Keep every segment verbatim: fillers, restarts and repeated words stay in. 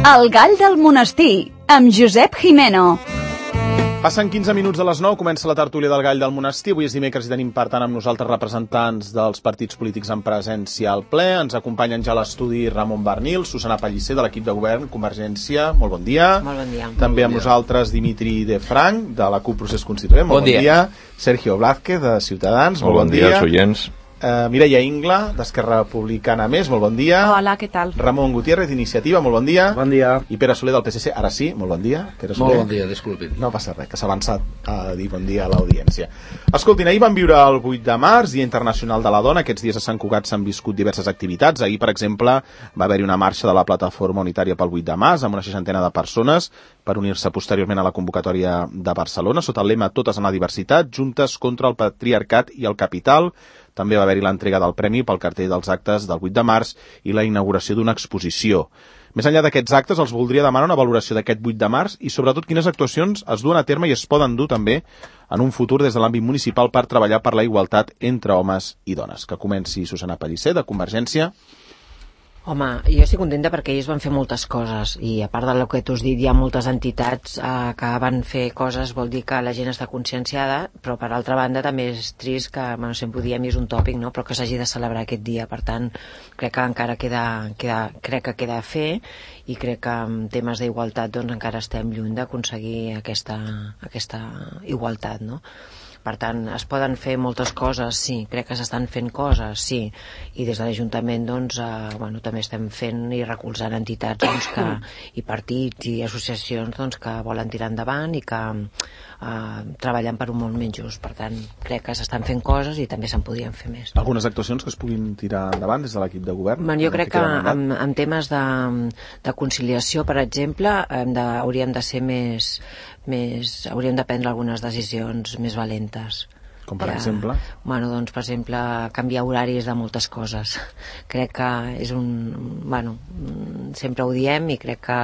El gall del monestir, amb Josep Jimeno. Passen quinze minuts de les nou, comença la tertúlia del gall del monestir. Avui és dimecres i tenim, per tant, amb nosaltres representants dels partits polítics en presència al ple. Ens acompanyen ja a l'estudi Ramon Barnil, Susana Pellicer, de l'equip de govern Convergència. Molt bon dia. Molt bon dia. També amb nosaltres Dimitri de Frank, de la CUP Procés Constituent. Molt bon, bon dia. dia. Sergio Blázquez, de Ciutadans. Molt, molt bon dia. Molt bon dia, oients. Uh, Mireia Ingla, d'Esquerra Republicana Més, molt bon dia. Hola, què tal? Ramon Gutiérrez, d'Iniciativa, molt bon dia. Bon dia. I Pere Soler, del P S C, ara sí, molt bon dia. Pere Soler. Molt bon dia, disculpin. No passa res, que s'ha avançat a dir bon dia a l'audiència. Escoltin, ahir vam viure el vuit de març, Dia Internacional de la Dona. Aquests dies a Sant Cugat s'han viscut diverses activitats. Ahir, per exemple, va haver-hi una marxa de la Plataforma Unitària pel vuit de març, amb una seixantena de persones, per unir-se posteriorment a la convocatòria de Barcelona, sota el lema Totes en la diversitat, juntes contra el patriarcat i el capital. També va haver-hi l'entrega del premi pel cartell dels actes del vuit de març i la inauguració d'una exposició. Més enllà d'aquests actes, els voldria demanar una valoració d'aquest vuit de març i, sobretot, quines actuacions es duen a terme i es poden dur també en un futur des de l'àmbit municipal per treballar per la igualtat entre homes i dones. Que comenci Susana Pellicer, de Convergència. Home, jo estic contenta perquè ells van fer moltes coses i a part del que tu has dit hi ha moltes entitats eh, que van fer coses, vol dir que la gent està conscienciada, però per altra banda també és trist que, bueno, sempre ho diem i és un tòpic, no? Però que s'hagi de celebrar aquest dia, per tant crec que encara queda, queda, crec que queda a fer i crec que en temes d'igualtat doncs encara estem lluny d'aconseguir aquesta, aquesta igualtat, no? Per tant, es poden fer moltes coses, sí, crec que s'estan fent coses, sí, i des de l'Ajuntament doncs, eh, bueno, també estem fent i recolzant entitats doncs, que, i partits i associacions doncs, que volen tirar endavant i que eh, treballen per un món menys just. Per tant, crec que s'estan fent coses i també se'n podrien fer més. Algunes actuacions que es puguin tirar endavant des de l'equip de govern? Man, jo crec que en, en temes de, de conciliació, per exemple, hem de, hauríem de ser més... més, hauríem de prendre algunes decisions més valentes. Com per ja, exemple? Bueno, doncs, per exemple, canviar horaris de moltes coses. Crec que és un... Bueno, sempre ho diem i crec que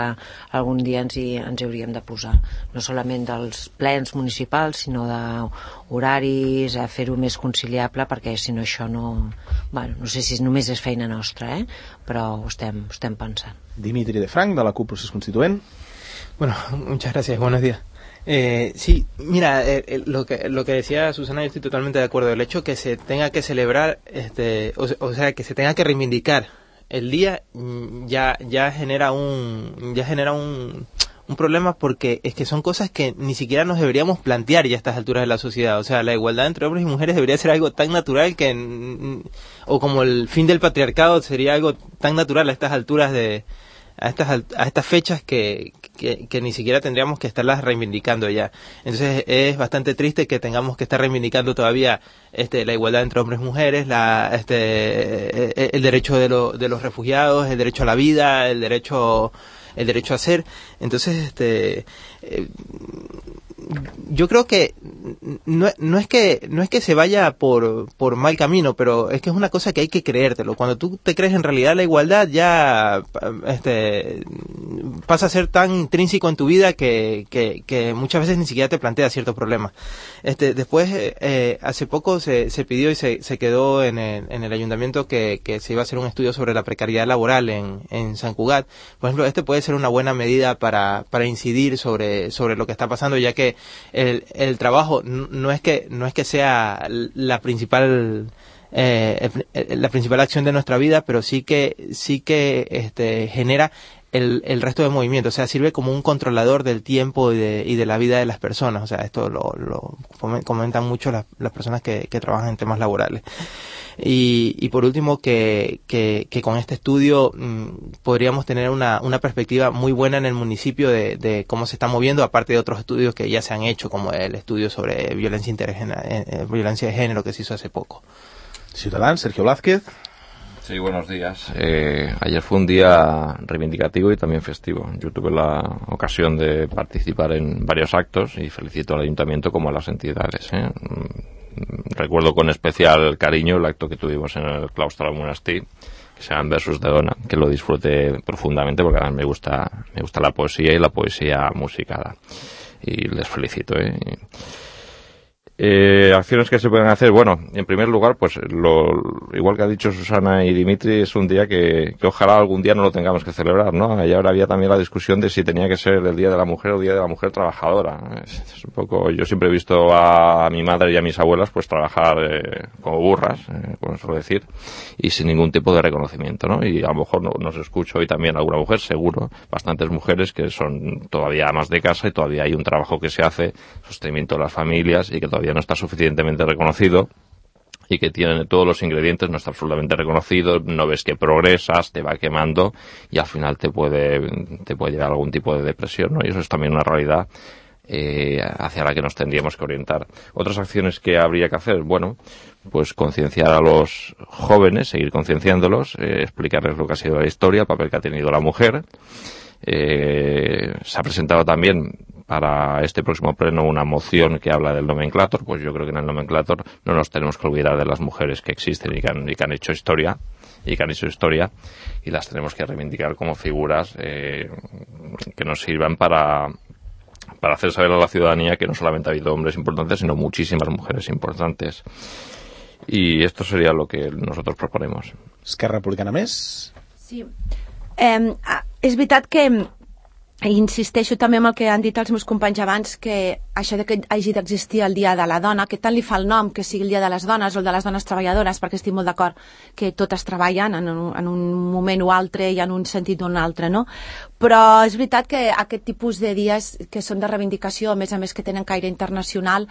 algun dia ens hi, ens hi hauríem de posar. No solament dels plens municipals, sinó d'horaris, a fer-ho més conciliable, perquè si no això no... Bueno, no sé si només és feina nostra, eh? Però ho estem, ho estem pensant. Dimitri de Frank, de la CUP Procés Constituent. Bueno, muchas gracias, buenos días. Eh, sí, mira, eh, lo que lo que decía Susana, yo estoy totalmente de acuerdo. El hecho que se tenga que celebrar, este, o, o sea, que se tenga que reivindicar el día, ya ya genera un ya genera un un problema, porque es que son cosas que ni siquiera nos deberíamos plantear ya a estas alturas de la sociedad. O sea, la igualdad entre hombres y mujeres debería ser algo tan natural que, o como el fin del patriarcado sería algo tan natural a estas alturas de a estas a estas fechas que, que, que ni siquiera tendríamos que estarlas reivindicando ya. Entonces es bastante triste que tengamos que estar reivindicando todavía este la igualdad entre hombres y mujeres, la este el derecho de, lo, de los refugiados, el derecho a la vida, el derecho el derecho a ser. Entonces este eh, yo creo que no, no es que no es que se vaya por por mal camino, pero es que es una cosa que hay que creértelo. Cuando tú te crees en realidad la igualdad, ya este pasa a ser tan intrínseco en tu vida que, que, que muchas veces ni siquiera te plantea ciertos problemas. Este después eh, hace poco se, se pidió y se, se quedó en el, en el ayuntamiento que, que se iba a hacer un estudio sobre la precariedad laboral en, en San Cugat. Por ejemplo, este puede ser una buena medida para para incidir sobre sobre lo que está pasando, ya que el, el trabajo no es que no es que sea la principal eh, la principal acción de nuestra vida, pero sí que sí que este genera el, el resto de movimiento, o sea, sirve como un controlador del tiempo y de, y de la vida de las personas. O sea, esto lo, lo comentan mucho las, las personas que, que trabajan en temas laborales. Y, y por último, que, que, que con este estudio mmm, podríamos tener una, una perspectiva muy buena en el municipio de, de cómo se está moviendo, aparte de otros estudios que ya se han hecho, como el estudio sobre violencia, eh, violencia de género que se hizo hace poco. Ciudadans, Sergio Blázquez. Sí, buenos días. Eh, ayer fue un día reivindicativo y también festivo. Yo tuve la ocasión de participar en varios actos y felicito al ayuntamiento como a las entidades, ¿eh? Recuerdo con especial cariño el acto que tuvimos en el claustro del monestir, que se llama Versus de Dona, que lo disfruté profundamente porque además me gusta, me gusta la poesía y la poesía musicada. Y les felicito, ¿eh? Eh, acciones que se pueden hacer, bueno, en primer lugar, pues lo, igual que ha dicho Susana y Dimitri, es un día que, que ojalá algún día no lo tengamos que celebrar, ¿no? Y ahora había también la discusión de si tenía que ser el Día de la Mujer o el Día de la Mujer Trabajadora. Es, es un poco, yo siempre he visto a, a mi madre y a mis abuelas pues trabajar eh, como burras, eh, como suelo decir, y sin ningún tipo de reconocimiento, ¿no? Y a lo mejor no, nos escucho hoy también alguna mujer, seguro, bastantes mujeres que son todavía amas de casa y todavía hay un trabajo que se hace, sostenimiento de las familias, y que todavía no está suficientemente reconocido y que tiene todos los ingredientes, no está absolutamente reconocido, no ves que progresas, te va quemando y al final te puede te puede llevar a algún tipo de depresión, ¿no? Y eso es también una realidad eh, hacia la que nos tendríamos que orientar. Otras acciones que habría que hacer, bueno, pues concienciar a los jóvenes, seguir concienciándolos, eh, explicarles lo que ha sido la historia, el papel que ha tenido la mujer. Eh, se ha presentado también para este próximo pleno una moción que habla del nomenclator, pues yo creo que en el nomenclator no nos tenemos que olvidar de las mujeres que existen y que han, y que han hecho historia y que han hecho historia y las tenemos que reivindicar como figuras eh, que nos sirvan para para hacer saber a la ciudadanía que no solamente ha habido hombres importantes, sino muchísimas mujeres importantes. Y esto sería lo que nosotros proponemos. Esquerra Republicana més? Sí. Eh, és veritat que insisteixo també amb el que han dit els meus companys abans, que això de que hagi d'existir el Dia de la Dona, que tant li fa el nom que sigui el Dia de les Dones o el de les Dones Treballadores, perquè estic molt d'acord que totes treballen en un, en un moment o altre i en un sentit o un altre, no? Però és veritat que aquest tipus de dies que són de reivindicació, a més a més que tenen caire internacional,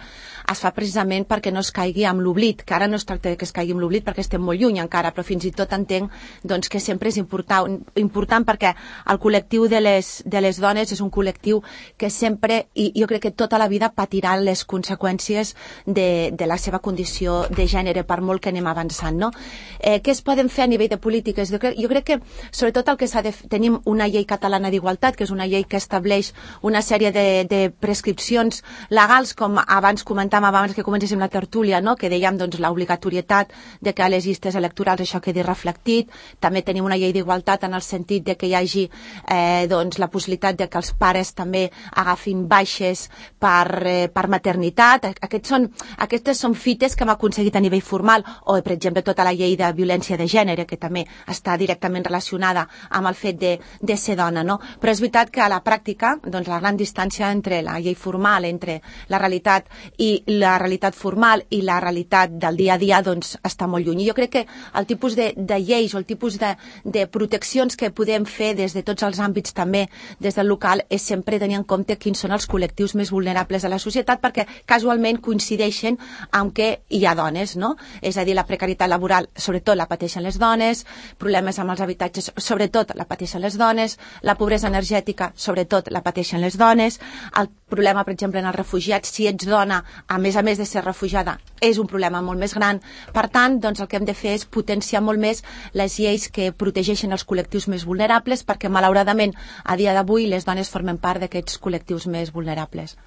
es fa precisament perquè no es caigui amb l'oblit, que ara no es tracta de que es caigui amb l'oblit perquè estem molt lluny encara, però fins i tot entenc doncs, que sempre és important, important perquè el col·lectiu de les, de les dones és un col·lectiu que sempre, i jo crec que tota la vida patirà les conseqüències de, de la seva condició de gènere, per molt que anem avançant, no? Eh, què es poden fer a nivell de polítiques? Jo crec, jo crec que sobretot el que s'ha de... Tenim una llei catalana d'igualtat, que és una llei que estableix una sèrie de, de prescripcions legals, com abans comentàvem abans que comencéssim la tertúlia, no? Que dèiem doncs, l'obligatorietat de que a les llistes electorals això quedi reflectit. També tenim una llei d'igualtat en el sentit de que hi hagi eh, doncs, la possibilitat de que els pares també agafin baixes per, eh, per maternitat. Aquests són, aquestes són fites que hem aconseguit a nivell formal, o per exemple tota la llei de violència de gènere, que també està directament relacionada amb el fet de, de ser dona, no? Però és veritat que a la pràctica doncs, la gran distància entre la llei formal, entre la realitat i la realitat formal i la realitat del dia a dia doncs, està molt lluny. I jo crec que el tipus de, de lleis o el tipus de, de proteccions que podem fer des de tots els àmbits, també des del local, és sempre tenir en compte quins són els col·lectius més vulnerables de la societat, perquè casualment coincideixen amb que hi ha dones, no? És a dir, la precarietat laboral sobretot la pateixen les dones, problemes amb els habitatges sobretot la pateixen les dones, la pobresa energètica sobretot la pateixen les dones, el problema per exemple en els refugiats, si ets dona a més a més de ser refugiada és un problema molt més gran. Per tant, doncs el que hem de fer és potenciar molt més les lleis que protegeixen els col·lectius més vulnerables, perquè malauradament a dia d'avui les dones formen part d'aquests col·lectius més vulnerables.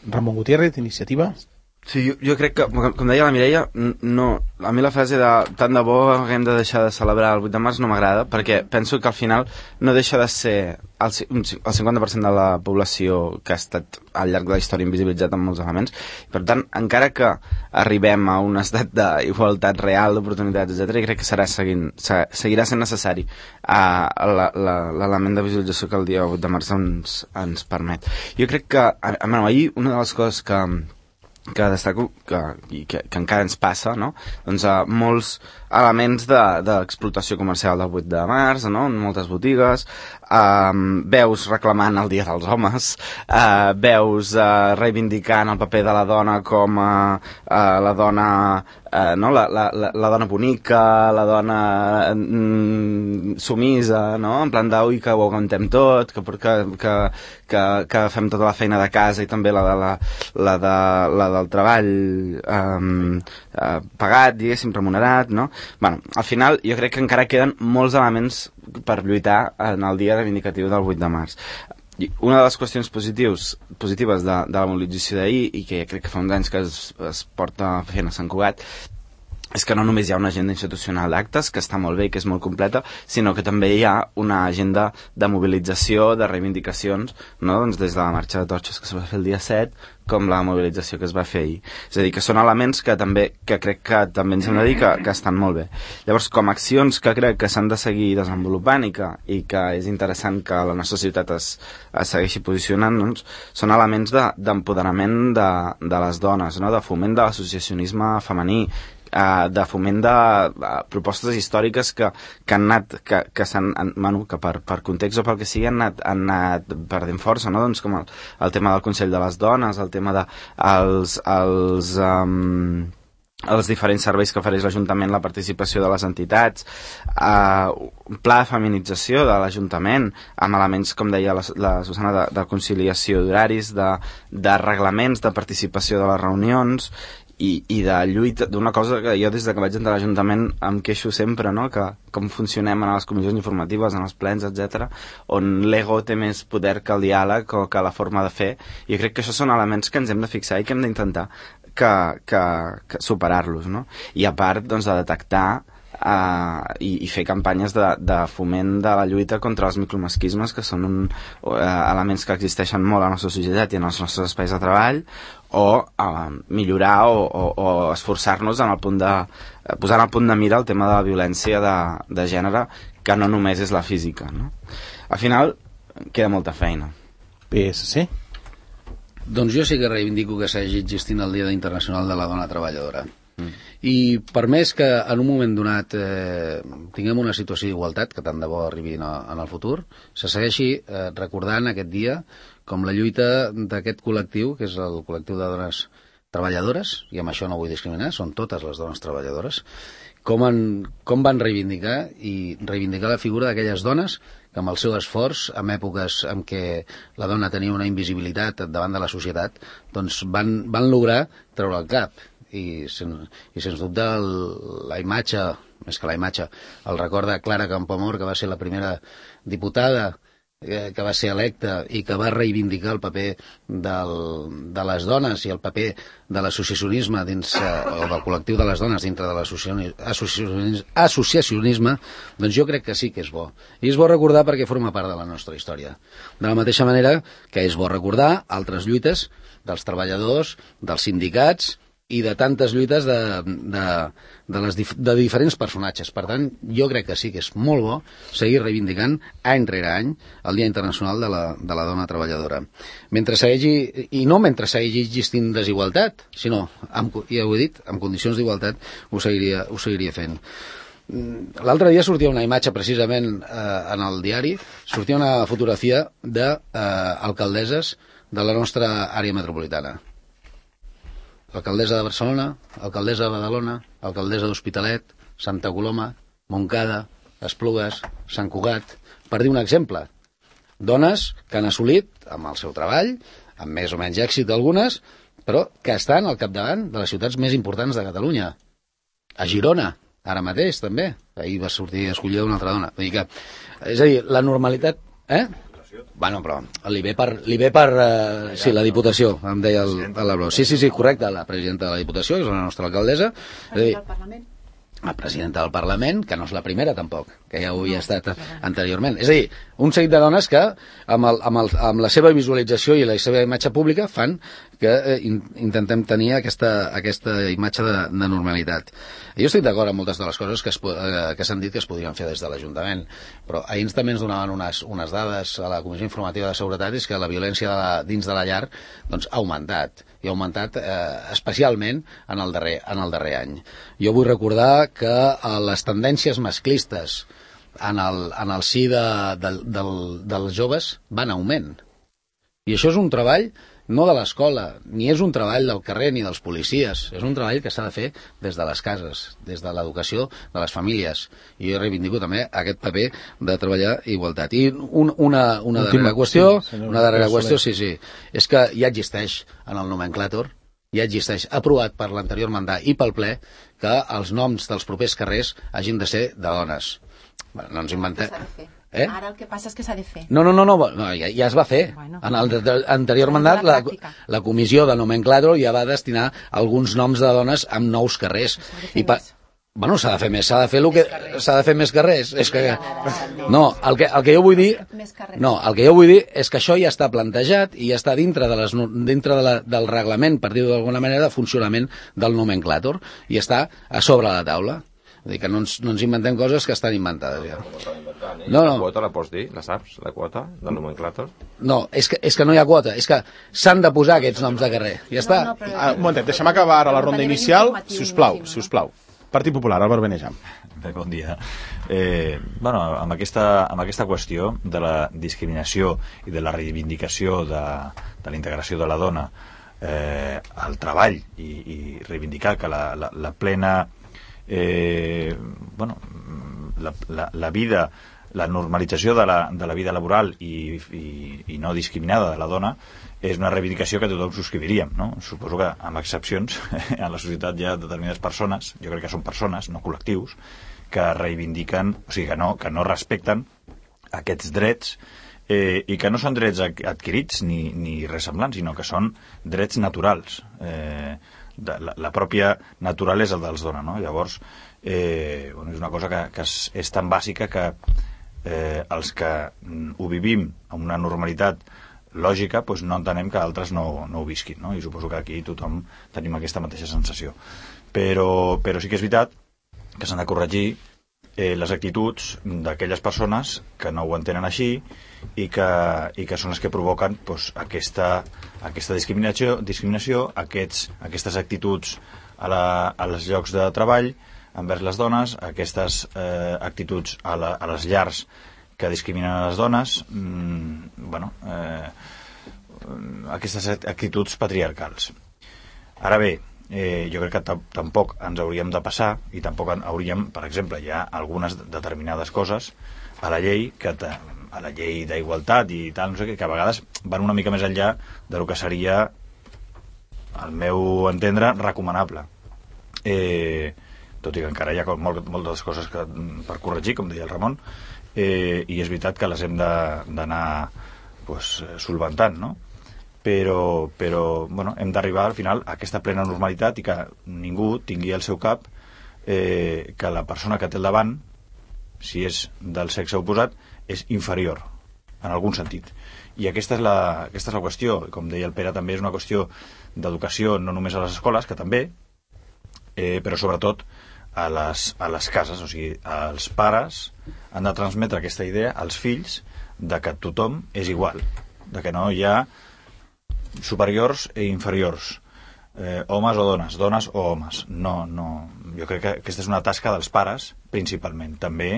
Ramon Gutiérrez, Iniciativa. Sí, jo, jo crec que, com, com deia la Mireia, no, a mi la frase de tant de bo haguem de deixar de celebrar el vuit de març no m'agrada, perquè penso que al final no deixa de ser el, el cinquanta per cent de la població que ha estat al llarg de la història invisibilitzat en molts elements. Per tant, encara que arribem a un estat d'igualtat real, d'oportunitats, etcètera, crec que serà seguint, seguirà sent necessari uh, l'element de visualització que el dia vuit de març ens, ens permet. Jo crec que, a, a, ahir, una de les coses que que destaco que, i que, que encara ens passa, no? Doncs uh, molts elements d'explotació de, comercial del vuit de març, no? En moltes botigues, uh, veus reclamant el Dia dels Homes, uh, veus uh, reivindicant el paper de la dona com uh, uh, la dona uh, no? la, la, la, la dona bonica, la dona mm, sumisa, no? En plan d'ui que ho aguantem tot, que, que, que, que, que fem tota la feina de casa i també la de la, la, de, la del treball um, uh, pagat, diguéssim, remunerat, no? Bueno, al final jo crec que encara queden molts elements per lluitar en el dia reivindicatiu del vuit de març. I una de les qüestions positius, positives de, de la mobilització d'ahir, i que crec que fa uns anys que es, es porta fent a Sant Cugat, és que no només hi ha una agenda institucional d'actes, que està molt bé i que és molt completa, sinó que també hi ha una agenda de mobilització, de reivindicacions, no? Doncs des de la marxa de torxes que es va fer el dia set, com la mobilització que es va fer ahir. És a dir, que són elements que també que crec que també ens hem de dir que, que estan molt bé. Llavors, com a accions que crec que s'han de seguir desenvolupant i que, i que és interessant que la nostra ciutat es, es segueixi posicionant, doncs, són elements d'empoderament de, de, de les dones, no? De foment de l'associacionisme femení, Uh, de foment de uh, propostes històriques que, que han anat que, que, s'han, bueno, que per, per context o pel que sigui han anat, han anat perdent força, no? Doncs com el, el tema del Consell de les Dones, el tema de els, els, um, els diferents serveis que ofereix l'Ajuntament, la participació de les entitats, uh, un pla de feminització de l'Ajuntament amb elements, com deia la, la Susana, de, de conciliació d'horaris, de, de reglaments, de participació de les reunions i, i de lluita, d'una cosa que jo des de que vaig entrar a l'Ajuntament em queixo sempre, no? Que com funcionem en les comissions informatives, en els plens, etcètera, on l'ego té més poder que el diàleg o que la forma de fer. Jo crec que això són elements que ens hem de fixar i que hem d'intentar que, que, que superar-los, no? I a part, doncs, de detectar Uh, i, i fer campanyes de, de foment de la lluita contra els micromasquismes, que són un, uh, elements que existeixen molt a la nostra societat i en els nostres espais de treball, o uh, millorar o, o, o esforçar-nos en el punt de uh, posar en el punt de mira el tema de la violència de, de gènere, que no només és la física, no? Al final queda molta feina. P S C? Doncs jo sí que reivindico que s'hagi existint el Dia Internacional de la Dona Treballadora. Mm. I per més que en un moment donat eh, tinguem una situació d'igualtat, que tant de bo arribi en, en el futur, se segueixi eh, recordant aquest dia com la lluita d'aquest col·lectiu, que és el col·lectiu de dones treballadores, i amb això no vull discriminar, són totes les dones treballadores, com, en, com van reivindicar i reivindicar la figura d'aquelles dones que amb el seu esforç, en èpoques en què la dona tenia una invisibilitat davant de la societat, doncs van, van lograr treure el cap. I, sen, i sens dubte el, la imatge, més que la imatge, el record de Clara Campoamor, que va ser la primera diputada eh, que va ser electa i que va reivindicar el paper del, de les dones i el paper de l'associacionisme dins, eh, o del col·lectiu de les dones dintre de l'associacionisme, associacionisme, doncs jo crec que sí que és bo. I és bo recordar perquè forma part de la nostra història. De la mateixa manera que és bo recordar altres lluites dels treballadors, dels sindicats i de tantes lluites de, de, de, les dif de diferents personatges. Per tant, jo crec que sí que és molt bo seguir reivindicant any rere any el Dia Internacional de la, de la Dona Treballadora. Mentre segueixi, i no mentre segueixi existint desigualtat, sinó, amb, ja ho he dit, amb condicions d'igualtat ho seguiria, ho seguiria fent. L'altre dia sortia una imatge precisament eh, en el diari, sortia una fotografia d'alcaldesses eh, de la nostra àrea metropolitana. Alcaldessa de Barcelona, alcaldessa de Badalona, alcaldessa d'Hospitalet, Santa Coloma, Montcada, Esplugues, Sant Cugat, per dir un exemple. Dones que han assolit, amb el seu treball, amb més o menys èxit algunes, però que estan al capdavant de les ciutats més importants de Catalunya. A Girona, ara mateix, també. Ahir va sortir escollida una altra dona. Vull dir que, és a dir, la normalitat... Eh? Bueno, però li ve per... Li ve per uh, sí, la Diputació, em deia el, el Labró. Sí, sí, sí, correcte, la presidenta de la Diputació, que és la nostra alcaldessa. Presidenta del Parlament. La presidenta del Parlament, que no és la primera, tampoc, que ja ho havia estat anteriorment. És a dir, un seguit de dones que, amb, el, amb, el, amb la seva visualització i la seva imatge pública, fan que eh, in, intentem tenir aquesta, aquesta imatge de, de normalitat. Jo estic d'acord amb moltes de les coses que, es, eh, que s'han dit que es podrien fer des de l'Ajuntament, però ahir també ens donaven unes, unes dades a la Comissió Informativa de Seguretat, és que la violència de la, dins de la llar doncs, ha augmentat, i ha augmentat eh, especialment en el, darrer, en el darrer any. Jo vull recordar que eh, les tendències masclistes en el, en el si de, de, del, dels joves van en augment. I això és un treball no de l'escola, ni és un treball del carrer ni dels policies, és un treball que s'ha de fer des de les cases, des de l'educació de les famílies. I jo reivindico també aquest paper de treballar igualtat. I un, una, una darrera qüestió, una darrera qüestió, sí, sí, és que ja existeix en el nomenclàtor, ja existeix, aprovat per l'anterior mandat i pel ple, que els noms dels propers carrers hagin de ser de dones. Bueno, no ens inventem... Eh? Ara el que passa és que s'ha de fer. No, no, no, no, no ja, ja es va fer. Bueno, en l'anterior mandat la, la comissió de nomenclàtor ja va destinar alguns noms de dones amb nous carrers. I, pa, Bueno, s'ha de fer més, s'ha de fer el que s'ha de fer més que res. És que no, el que el que jo vull dir, no, el que jo vull dir és que això ja està plantejat i ja està dintre de les dintre de la, del reglament, per dir-ho d'alguna manera, de funcionament del nomenclàtor i està a sobre la taula. Vull dir que no ens, no ens inventem coses que estan inventades ja. No, no. La quota la pots dir? La saps? La quota del nomenclàtor? No, és que, és que no hi ha quota, és que s'han de posar aquests noms de carrer. Ja està. No, no, però... ah, un momentet, deixem acabar ara la ronda inicial, si us plau, si us plau. Partit Popular, Albert Benejam. Bé, bon dia. Eh, bueno, amb aquesta, amb aquesta qüestió de la discriminació i de la reivindicació de, de la integració de la dona eh, al treball i, i reivindicar que la, la, la plena eh, bueno, la, la, la vida, la normalització de la, de la vida laboral i, i, i no discriminada de la dona és una reivindicació que tothom subscriviríem, no? Suposo que, amb excepcions, en la societat hi ha determinades persones, jo crec que són persones, no col·lectius, que reivindiquen, o sigui, que no, que no respecten aquests drets eh, i que no són drets adquirits ni, ni res semblant, sinó que són drets naturals. Eh, de, la, la pròpia naturalesa dels dona, no? Llavors, eh, bueno, és una cosa que, que és, és tan bàsica que eh, els que ho vivim amb una normalitat lògica, doncs no entenem que altres no, no ho visquin, no? I suposo que aquí tothom tenim aquesta mateixa sensació. Però, però sí que és veritat que s'han de corregir eh, les actituds d'aquelles persones que no ho entenen així i que, i que són les que provoquen doncs, aquesta, aquesta discriminació, discriminació aquests, aquestes actituds a, la, a els llocs de treball envers les dones, aquestes eh, actituds a, la, a les llars que discriminen les dones, mmm, bueno, eh, aquestes actituds patriarcals. Ara bé, eh, jo crec que tampoc ens hauríem de passar i tampoc hauríem, per exemple, hi ha algunes determinades coses a la llei que a la llei d'igualtat i tal, no sé què, que a vegades van una mica més enllà de lo que seria, al meu entendre, recomanable. Eh, tot i que encara hi ha molt, moltes coses que, per corregir, com deia el Ramon, Eh, i és veritat que les hem d'anar pues, solventant, no? Però, però bueno, hem d'arribar al final a aquesta plena normalitat i que ningú tingui al seu cap eh, que la persona que té al davant, si és del sexe oposat, és inferior, en algun sentit. I aquesta és la, aquesta és la qüestió, com deia el Pere, també és una qüestió d'educació, no només a les escoles, que també, eh, però sobretot a les, a les cases, o sigui, els pares han de transmetre aquesta idea als fills de que tothom és igual, de que no hi ha superiors i inferiors, eh, homes o dones, dones o homes. No, no. Jo crec que aquesta és una tasca dels pares, principalment. També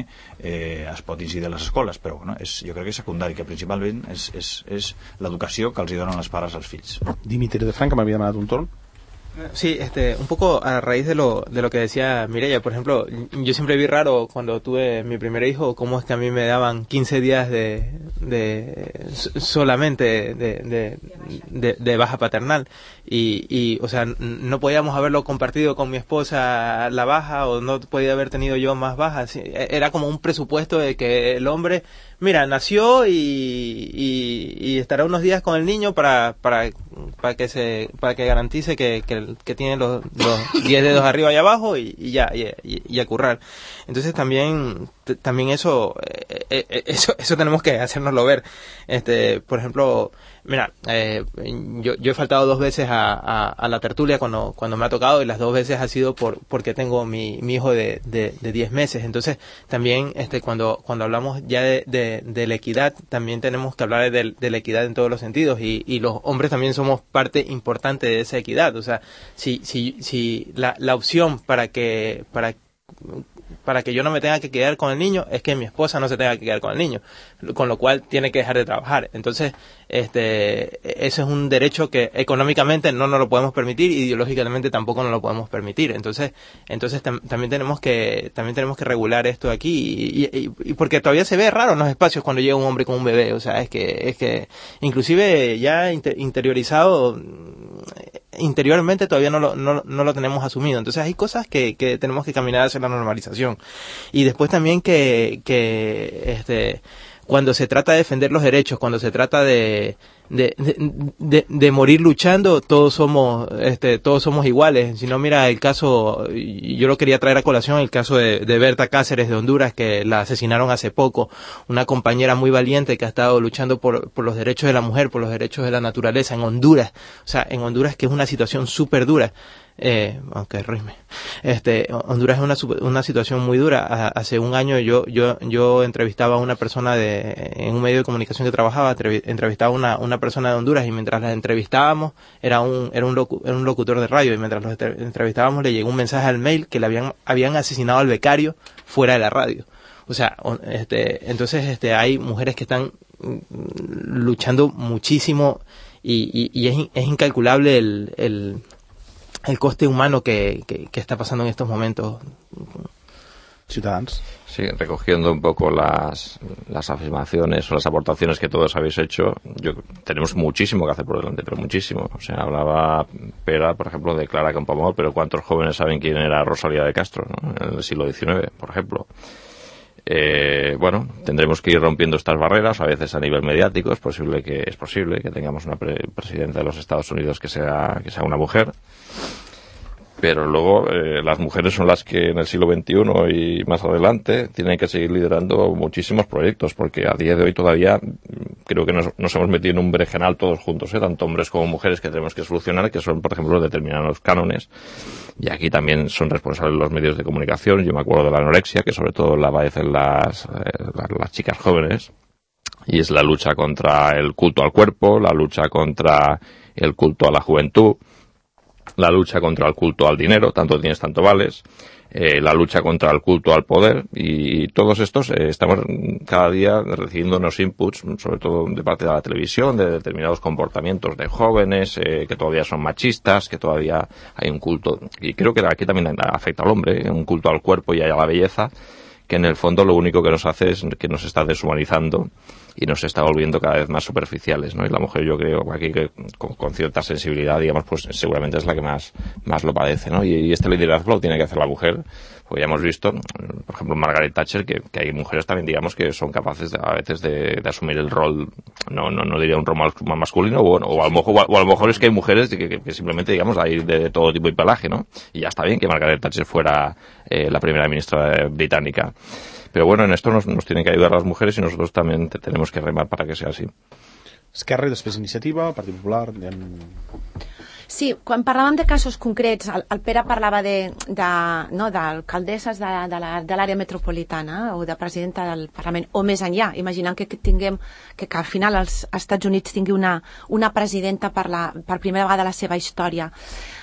eh, es pot incidir a les escoles, però bueno, és, jo crec que és secundari, que principalment és, és, és l'educació que els hi donen els pares als fills. Dimitri de Frank, que m'havia demanat un torn. Sí, este, un poco a raíz de lo, de lo que decía Mireia, por ejemplo, yo siempre vi raro cuando tuve mi primer hijo, cómo es que a mí me daban quince días de, de solamente de, de, de, de baja paternal y, y, o sea, no podíamos haberlo compartido con mi esposa la baja o no podía haber tenido yo más bajas. Era como un presupuesto de que el hombre, mira, nació y, y, y estará unos días con el niño para, para, para que se, para que garantice que, que, que tiene los, los diez dedos arriba y abajo y, y ya, y, y, y a currar. Entonces también, t- también eso, eh, eh, eso, eso tenemos que hacérnoslo ver. Este, por ejemplo, mira, eh, yo, yo he faltado dos veces a, a, a la tertulia cuando, cuando me ha tocado y las dos veces ha sido por, porque tengo mi, mi hijo de, de, de diez meses. Entonces también, este, cuando, cuando hablamos ya de, de, de la equidad, también tenemos que hablar de, de la equidad en todos los sentidos y, y los hombres también somos parte importante de esa equidad. O sea, si, si, si la, la opción para que, para para que yo no me tenga que quedar con el niño es que mi esposa no se tenga que quedar con el niño, con lo cual tiene que dejar de trabajar. Entonces, este, eso es un derecho que económicamente no nos lo podemos permitir, ideológicamente tampoco nos lo podemos permitir. Entonces, entonces tam- también tenemos que también tenemos que regular esto aquí y, y, y porque todavía se ve raro en los espacios cuando llega un hombre con un bebé. O sea, es que es que inclusive ya inter- interiorizado interiormente todavía no lo, no, no lo tenemos asumido. Entonces hay cosas que, que tenemos que caminar hacia la normalización. Y después también que, que este, cuando se trata de defender los derechos, cuando se trata de, de, de, de, de morir luchando, todos somos, este, todos somos iguales. Si no, mira el caso, yo lo quería traer a colación, el caso de, de Berta Cáceres de Honduras, que la asesinaron hace poco, una compañera muy valiente que ha estado luchando por, por los derechos de la mujer, por los derechos de la naturaleza en Honduras. O sea, en Honduras, que es una situación súper dura. Eh, aunque rime. Este, Honduras es una, una situación muy dura. Hace un año yo, yo, yo entrevistaba a una persona de, en un medio de comunicación que trabajaba, entrevistaba a una, una persona de Honduras, y mientras la entrevistábamos, era un, era un, locu, era un locutor de radio, y mientras lo entrevistábamos le llegó un mensaje al mail que le habían, habían asesinado al becario fuera de la radio. O sea, este, entonces, este, hay mujeres que están luchando muchísimo, y, y, y es, es incalculable el, el el coste humano que, que, que está pasando en estos momentos. Ciutadans. Sí, recogiendo un poco las, las afirmaciones o las aportaciones que todos habéis hecho, yo, tenemos muchísimo que hacer por delante, pero muchísimo. O sea, hablaba Pera, por ejemplo, de Clara Campoamor, pero ¿cuántos jóvenes saben quién era Rosalía de Castro, ¿no? En el siglo diecinueve, por ejemplo? Eh, bueno, tendremos que ir rompiendo estas barreras, a veces a nivel mediático. Es posible que es posible que tengamos una pre presidenta de los Estados Unidos que sea que sea una mujer, pero luego eh, las mujeres son las que en el siglo veintiuno y más adelante tienen que seguir liderando muchísimos proyectos, porque a día de hoy todavía creo que nos, nos hemos metido en un berenjenal todos juntos, ¿eh? Tanto hombres como mujeres, que tenemos que solucionar, que son, por ejemplo, determinados cánones, y aquí también son responsables los medios de comunicación. Yo me acuerdo de la anorexia, que sobre todo la padecen las, eh, las, las chicas jóvenes, y es la lucha contra el culto al cuerpo, la lucha contra el culto a la juventud, la lucha contra el culto al dinero, tanto tienes tanto vales, eh, la lucha contra el culto al poder, y todos estos eh, estamos cada día recibiendo unos inputs, sobre todo de parte de la televisión, de determinados comportamientos de jóvenes eh, que todavía son machistas, que todavía hay un culto, y creo que aquí también afecta al hombre, un culto al cuerpo y a la belleza, que en el fondo lo único que nos hace es que nos está deshumanizando y nos está volviendo cada vez más superficiales, ¿no? Y la mujer, yo creo aquí que con, con cierta sensibilidad, digamos, pues seguramente es la que más más lo padece, ¿no? Y, y este liderazgo lo tiene que hacer la mujer. Pues ya hemos visto, por ejemplo, Margaret Thatcher, que, que hay mujeres también, digamos, que son capaces de, a veces de, de asumir el rol, no no no diría un rol masculino, o, o, a, lo mejor, o a lo mejor es que hay mujeres que, que, que simplemente, digamos, hay de todo tipo y pelaje, ¿no? Y ya está bien que Margaret Thatcher fuera eh, la primera ministra británica. Pero bueno, en esto nos, nos tienen que ayudar las mujeres, y nosotros también te, tenemos que remar para que sea así. Esquerra i després Iniciativa, Partit Popular... En... Sí, quan parlàvem de casos concrets, el, el Pere parlava de, de, no, d'alcaldesses de, de l'àrea metropolitana o de presidenta del Parlament, o més enllà, imaginant que, que tinguem que, que al final els Estats Units tingui una, una presidenta per, la, per primera vegada a la seva història.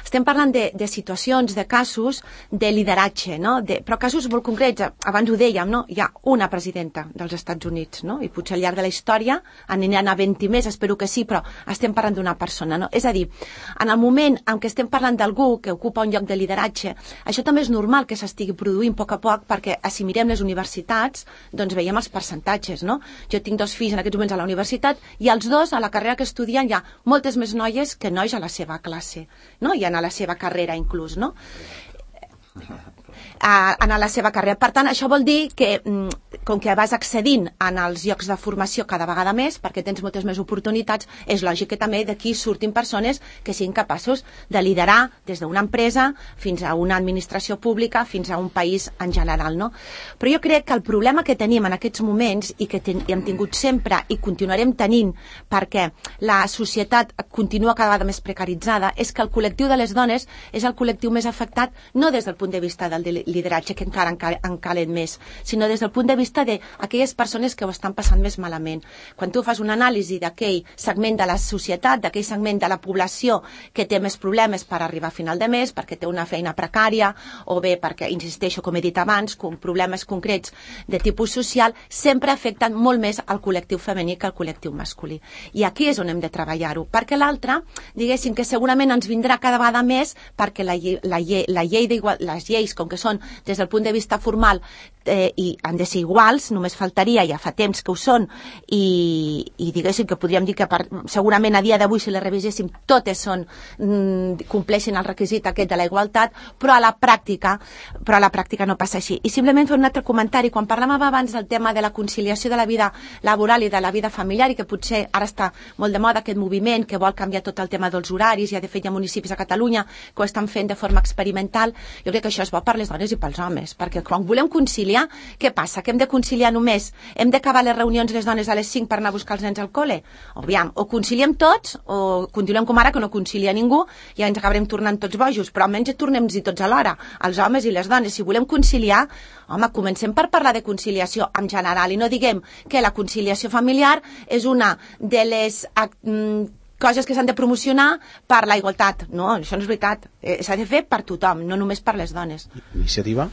Estem parlant de, de situacions, de casos de lideratge, no? De, però casos molt concrets. Abans ho dèiem, no? Hi ha una presidenta dels Estats Units, no? I potser al llarg de la història aniran a vint més, espero que sí, però estem parlant d'una persona, no? És a dir, en el moment en què estem parlant d'algú que ocupa un lloc de lideratge, això també és normal que s'estigui produint a poc a poc, perquè si mirem les universitats, doncs veiem els percentatges, no? Jo tinc dos fills en aquests moments a la universitat, i els dos, a la carrera que estudien, hi ha moltes més noies que nois a la seva classe, no? I en a la seva carrera inclús, no? A, en la seva carrera. Per tant, això vol dir que com que vas accedint en els llocs de formació cada vegada més, perquè tens moltes més oportunitats, és lògic que també d'aquí surtin persones que siguin capaços de liderar des d'una empresa fins a una administració pública, fins a un país en general, no? Però jo crec que el problema que tenim en aquests moments, i que ten, hem tingut sempre i continuarem tenint, perquè la societat continua cada vegada més precaritzada, és que el col·lectiu de les dones és el col·lectiu més afectat, no des del punt de vista del lideratge, que encara en calen més, sinó des del punt de vista d'aquelles persones que ho estan passant més malament. Quan tu fas una anàlisi d'aquell segment de la societat, d'aquell segment de la població que té més problemes per arribar a final de mes, perquè té una feina precària, o bé perquè, insisteixo, com he dit abans, com problemes concrets de tipus social, sempre afecten molt més al col·lectiu femení que al col·lectiu masculí. I aquí és on hem de treballar-ho, perquè l'altre, diguéssim que segurament ens vindrà cada vegada més, perquè la llei, la llei, la llei les lleis, com que són des del punt de vista formal, eh, i han de ser iguals, només faltaria, ja fa temps que ho són, i, i diguéssim que podríem dir que per, segurament a dia d'avui si les reviséssim totes són, mm, compleixen el requisit aquest de la igualtat, però a la pràctica però a la pràctica no passa així. I simplement fer un altre comentari, quan parlàvem abans del tema de la conciliació de la vida laboral i de la vida familiar, i que potser ara està molt de moda aquest moviment que vol canviar tot el tema dels horaris, i de fet hi ha municipis a Catalunya que ho estan fent de forma experimental, jo crec que això és bo per les dones i pels homes, perquè quan volem conciliar, què passa? Que hem de conciliar només? Hem d'acabar les reunions les dones a les cinc per anar a buscar els nens al col·le? O, aviam, o conciliem tots, o continuem com ara que no concilia ningú i ja ens acabarem tornant tots bojos, però almenys tornem-hi tots alhora, els homes i les dones. Si volem conciliar, home, comencem per parlar de conciliació en general i no diguem que la conciliació familiar és una de les coses que s'han de promocionar per la igualtat. No, això no és veritat. Eh, s'ha de fer per tothom, no només per les dones. Iniciativa?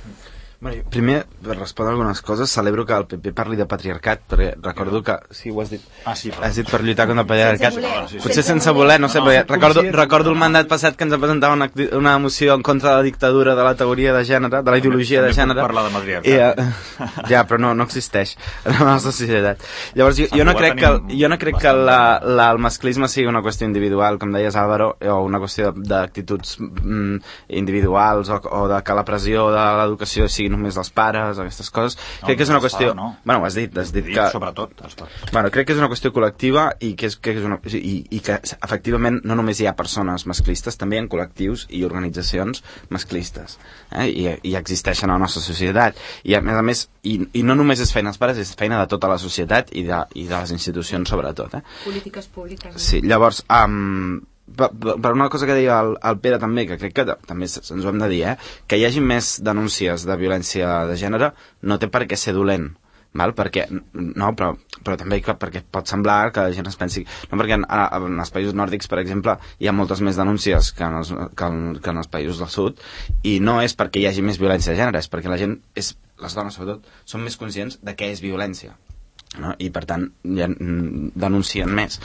Bueno, primer, per respondre algunes coses, celebro que el P P parli de patriarcat, perquè recordo que... Sí, ho has dit. Ah, sí, però... Has dit per lluitar contra el patriarcat. Sense voler. Potser sense voler, no sé, no, perquè recordo, recordo el mandat passat que ens presentava una, una moció en contra de la dictadura de la teoria de gènere, de la ideologia de gènere. També puc parlar de matriarcat. I, uh, ja, però no, no existeix en la nostra societat. Llavors, jo, jo no crec que, el, jo no crec que la, la, el masclisme sigui una qüestió individual, com deies Álvaro, o una qüestió d'actituds mm, individuals, o, o de que la pressió de l'educació sigui només dels pares, aquestes coses. No, crec que és una qüestió... No. Bueno, ho has dit, has dit que... Sobretot els pares. Bueno, crec que és una qüestió col·lectiva i que, és, que és una... I, i que efectivament no només hi ha persones masclistes, també hi ha col·lectius i organitzacions masclistes. Eh? I, I existeixen a la nostra societat. I a més a més, i, i no només és feina dels pares, és feina de tota la societat i de, i de les institucions sobretot. Eh? Polítiques públiques. Sí, llavors... Um, per, per una cosa que deia el, el Pere també, que crec que també ens ho hem de dir, eh? Que hi hagi més denúncies de violència de gènere no té per què ser dolent, val? Perquè, no, però, però també perquè pot semblar que la gent es pensi... No, perquè en, en els països nòrdics, per exemple, hi ha moltes més denúncies que en, els, que, en, que en els països del sud, i no és perquè hi hagi més violència de gènere, és perquè la gent, és, les dones sobretot, són més conscients de què és violència, no? I per tant ja denuncien més.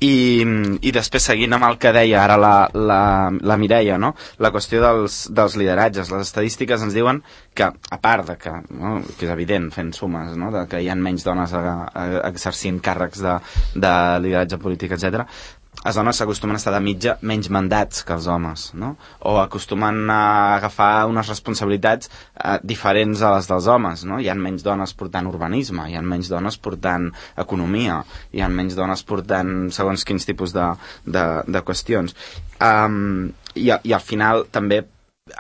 I, i després seguint amb el que deia ara la, la, la Mireia, no? La qüestió dels, dels lideratges. Les estadístiques ens diuen que, a part de que, no? Que és evident fent sumes, no? De que hi ha menys dones a, a, exercint càrrecs de, de lideratge polític, etcètera, les dones s'acostumen a estar de mitja menys mandats que els homes, no? O acostumen a agafar unes responsabilitats eh, diferents a les dels homes, no? Hi ha menys dones portant urbanisme, hi ha menys dones portant economia, hi ha menys dones portant segons quins tipus de, de, de qüestions. Um, i, I al final també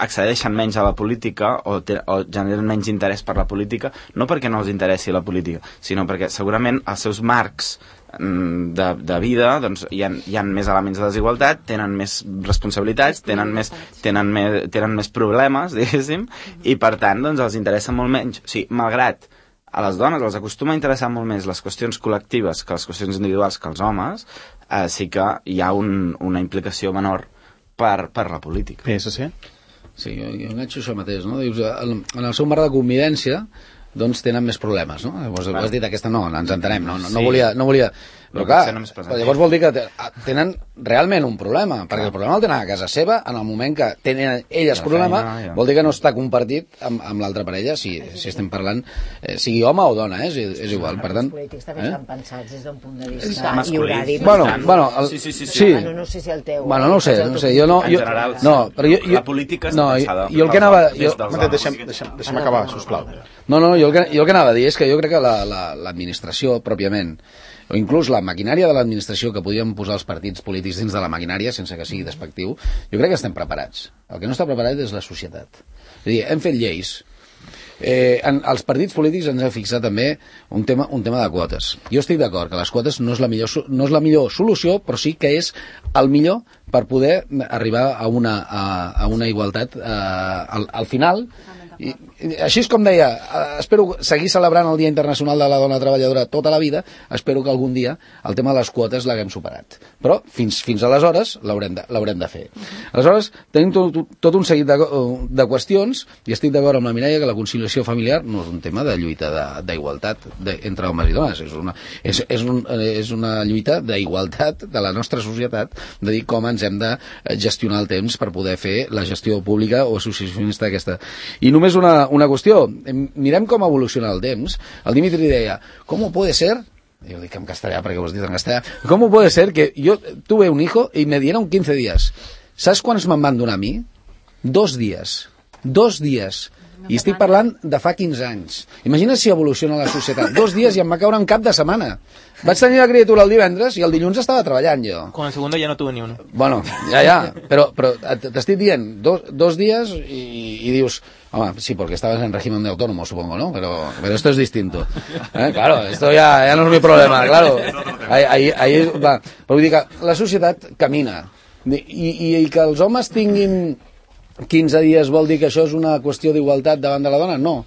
accedeixen menys a la política o, te, o generen menys interès per la política, no perquè no els interessi la política, sinó perquè segurament els seus marcs de, de vida, doncs hi ha, hi ha més elements de desigualtat, tenen més responsabilitats, tenen més, tenen més, tenen més problemes, diguéssim, i per tant doncs els interessa molt menys. O sigui, malgrat a les dones els acostuma a interessar molt més les qüestions col·lectives que les qüestions individuals que els homes, eh, sí que hi ha un, una implicació menor per, per la política. P S C? Sí, jo, jo enganxo això mateix, no? Dius, en el seu marc de convivència doncs tenen més problemes, no? Llavors, ho has dit aquesta, no, ens entenem, no, no, no volia... No volia però clar, llavors vol dir que tenen realment un problema, perquè el problema el tenen a casa seva, en el moment que tenen elles problema, vol dir que no està compartit amb, amb l'altra parella, si, si estem parlant, eh, sigui home o dona, eh? és, és igual, per tant... Els polítics també estan pensats des d'un punt de vista i horari. Bueno, bueno, el, sí, sí, sí, sí. Bueno, no sé si el teu... Bueno, no ho sé, no sé, jo no... En general, no, però jo, jo, la política està no, pensada... Jo el que anava... Jo, deixem, deixem, deixem acabar, sisplau. No, no, jo el que, jo el que anava a dir és que jo crec que l'administració, la, la, pròpiament, o inclús la maquinària de l'administració que podríem posar els partits polítics dins de la maquinària, sense que sigui despectiu, jo crec que estem preparats. El que no està preparat és la societat. És a dir, hem fet lleis. Eh, en, els partits polítics ens hem fixat també un tema, un tema de quotes. Jo estic d'acord que les quotes no és, la millor, no és la millor solució, però sí que és el millor per poder arribar a una, a, a una igualtat eh, al, al final. I, així és com deia, espero seguir celebrant el Dia Internacional de la Dona Treballadora tota la vida, espero que algun dia el tema de les quotes l'haguem superat, però fins, fins aleshores l'haurem de, l'haurem de fer. Aleshores tenim tot, tot un seguit de, de qüestions, i estic d'acord amb la Mireia que la conciliació familiar no és un tema de lluita d'igualtat entre homes i dones, és una, és, és un, és una lluita d'igualtat de la nostra societat, de dir com ens hem de gestionar el temps per poder fer la gestió pública o associacionista aquesta. I només és una, una qüestió. Mirem com evoluciona el temps. El Dimitri deia, ¿cómo puede ser? Yo digo en castellà perquè ho has dit en castellà. ¿Cómo puede ser que yo tuve un hijo y me dieron quince días? ¿Saps quants me'n van donar a mi? Dos dies. Dos dies. I estic parlant de fa quinze anys. Imagina si evoluciona la societat. Dos dies i em va caure un cap de setmana. Vaig tenir la criatura el divendres i el dilluns estava treballant jo. Con el segundo ya no tuve ni uno. Bueno, ja, ja, però, però t'estic dient dos, dos dies i, i dius, home, sí, porque estabas en régimen de autónomo, supongo, ¿no? Pero, pero esto es distinto. ¿Eh? Claro, esto ya, ya no es mi problema, claro. Ahí, ahí, ahí va. Però vull dir que la societat camina. I, i, i que els homes tinguin quinze dies vol dir que això és una qüestió d'igualtat davant de la dona? No.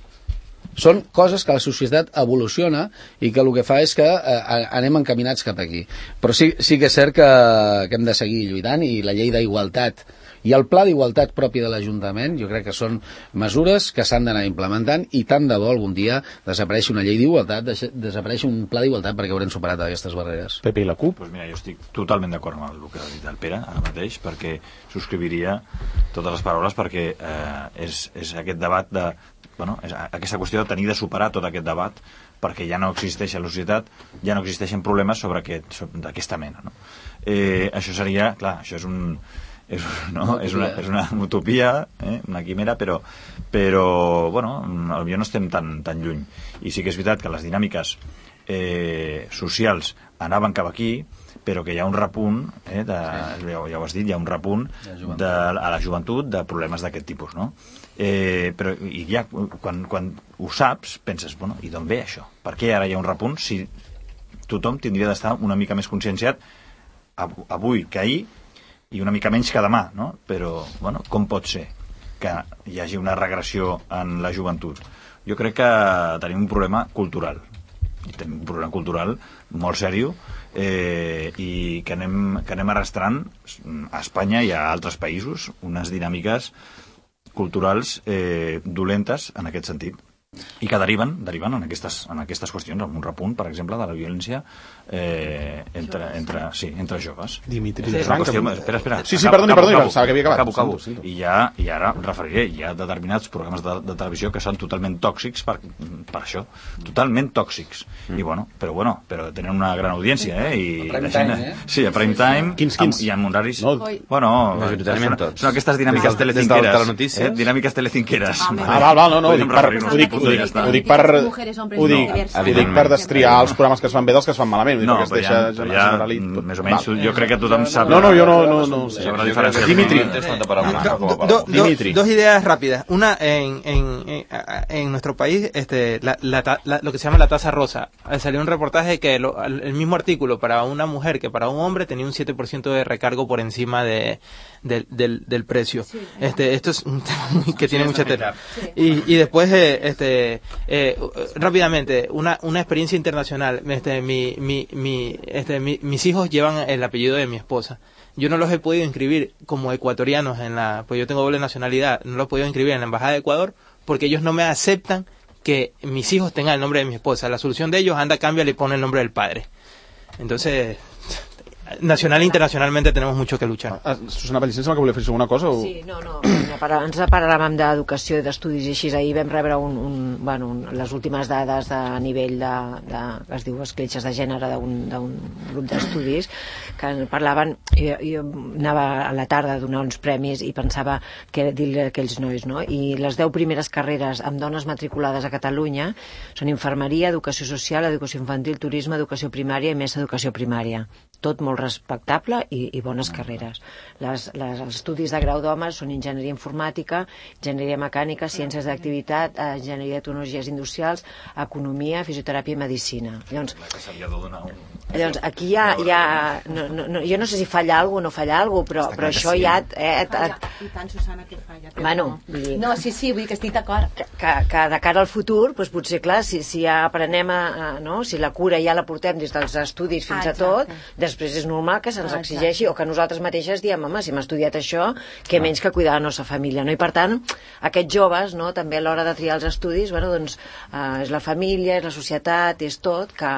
Són coses que la societat evoluciona i que el que fa és que eh, anem encaminats cap aquí. Però sí, sí que és cert que, que hem de seguir lluitant, i la llei d'igualtat i el pla d'igualtat propi de l'Ajuntament jo crec que són mesures que s'han d'anar implementant, i tant de bo algun dia desapareixi una llei d'igualtat, desapareixi un pla d'igualtat, perquè haurem superat aquestes barreres. Pepe i la CUP? Pues mira, jo estic totalment d'acord amb el que ha dit el Pere ara mateix, perquè subscriviria totes les paraules, perquè eh, és, és aquest debat de, bueno, és aquesta qüestió de tenir de superar tot aquest debat, perquè ja no existeix a la societat, ja no existeixen problemes sobre aquest, sobre, d'aquesta mena, no? Eh, això seria, clar, això és un és, no? és, una, és una utopia, eh? una quimera, però, però bueno, potser no estem tan, tan lluny. I sí que és veritat que les dinàmiques eh, socials anaven cap aquí, però que hi ha un repunt, eh, de, sí. ja, ja ho has dit, hi ha un repunt de, a la joventut de problemes d'aquest tipus, no? Eh, però i ja, quan, quan ho saps, penses, bueno, i d'on ve això? Per què ara hi ha un repunt si tothom tindria d'estar una mica més conscienciat avui que ahir, i una mica menys que demà, no? Però, bueno, com pot ser que hi hagi una regressió en la joventut? Jo crec que tenim un problema cultural. I tenim un problema cultural molt seriós, eh, i que anem, que anem arrastrant a Espanya i a altres països unes dinàmiques culturals eh, dolentes en aquest sentit, i que deriven, deriven en, aquestes, en aquestes qüestions, amb un repunt, per exemple, de la violència eh, entre, entre, sí, entre joves. Dimitri, sí, Frank, qüestió, espera, espera. Sí, sí, perdoni, perdoni, pensava que havia acabat. Acabo, acabo. Sento, sento. I, ja, I ara em referiré, hi ha determinats programes de, de televisió que són totalment tòxics per, per això, totalment tòxics. Mm. I bueno, però bueno, però tenen una gran audiència, eh? I a prime la gent, time, eh? Sí, a prime time, quins, quins? Amb, i amb horaris... No. Bueno, majoritàriament tots. Són aquestes dinàmiques telecinqueres. Eh? Dinàmiques telecinqueres. Ah, val, val, no, no, ho dic per... Ho dic, ho dic, ho dic per... Ho dic, ho dic per destriar els programes que es fan bé dels que es fan malament. No, però ja, però ja més o menys, jo crec que tothom sap... No, no, jo no... no, no sé. Dimitri. Dimitri. Dos ideas rápidas. Una, en, en, en, en nuestro país, este, la, la, la, lo que se llama la tasa rosa. Salió un reportaje que lo, el mismo artículo para una mujer que para un hombre tenía un siete por ciento de recargo por encima de, de, del, del precio. Este, esto es un tema muy, que tiene mucha tela. Y, y después, eh, este, eh, rápidamente, una, una experiencia internacional. Este, mi, mi, mi, este, mi, mis hijos llevan el apellido de mi esposa. Yo no los he podido inscribir como ecuatorianos en la, pues yo tengo doble nacionalidad, no los he podido inscribir en la Embajada de Ecuador porque ellos no me aceptan que mis hijos tengan el nombre de mi esposa. La solución de ellos, anda, cambia, le pone el nombre del padre. Entonces, nacional e internacionalmente tenemos mucho que luchar. Ah, Susana Pellicent, que volia fer alguna cosa? O... Sí, no, no, abans parlàvem d'educació i d'estudis i així, ahir vam rebre un, un, bueno, un, les últimes dades de nivell de, de que es diu escletxes de gènere d'un grup d'estudis que parlaven, jo, jo anava a la tarda a donar uns premis i pensava que dir-li a aquells nois, no? I les deu primeres carreres amb dones matriculades a Catalunya són infermeria, educació social, educació infantil, turisme, educació primària i més educació primària. Tot molt respectable i, i bones carreres. Les, les, els estudis de grau d'homes són enginyeria informàtica, enginyeria mecànica, ciències d'activitat, enginyeria de tecnologies industrials, economia, fisioteràpia i medicina. Llavors, llavors aquí hi ha... Hi ha no, no, no, jo no sé si falla alguna cosa o no falla alguna cosa, però, però això ja... Eh, et, I tant, Susana, que falla. Bueno, vull dir, no, sí, sí, vull dir que estic d'acord. Que, que, que de cara al futur, doncs potser, clar, si, si ja aprenem a, a... no? Si la cura ja la portem des dels estudis fins ah, a tot, després és normal que se'ns exigeixi o que nosaltres mateixes diem, home, si hem estudiat això, què menys que cuidar la nostra família, no? I per tant, aquests joves, no?, també a l'hora de triar els estudis, bueno, doncs, eh, és la família, és la societat, és tot, que,